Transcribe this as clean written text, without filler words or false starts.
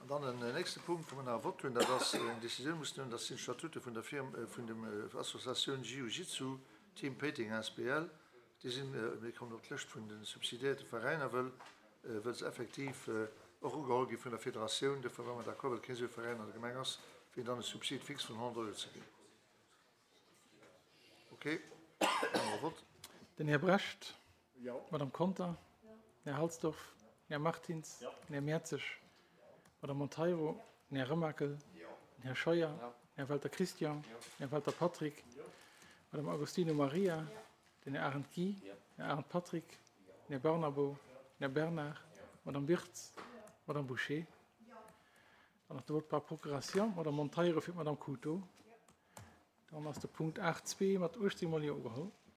An dann en nächste Punkt, wou mer nach e Vott hunn, dat ass eng Décisioun mussen huelen, dat sinn d'Statute vun der Firm, vun dem Associatioun Jiu-Jitsu Team Péiteng asbl. Déi sinn, mir kommen op d'Lëscht vun de subsidiéierte Veräiner, wëll, wëll se effektiv och ugeholl gi vun der Federatioun. Duerfir ware mer d'accord, well keen esou e Veräin an der Gemeng ass, fir hinnen dann e Subsid fixe vun 100 Euro ze ginn. Okay, maache mer e Vott. Den Här Brecht. Madame Conter, den Här Halsdorf, den Här Martins, den Här Mertzig, d'Madame Monteiro, den Här Remakel, den Här Scheuer, den Här Welter Christian, den Här Welter Patrick, d'Madame Agostino Maria, den Här Arendt Guy, den Här Arendt Patrick, den Här Barnabo, den Här Bernard, d'Madame Wirtz, d'Madame Bouché. Dann nach de Vote par procuration, d'Madame Monteiro fir d'Madame Couto. Dann ass de Punkt 8.2 mat 18 mol Jo ugeholl.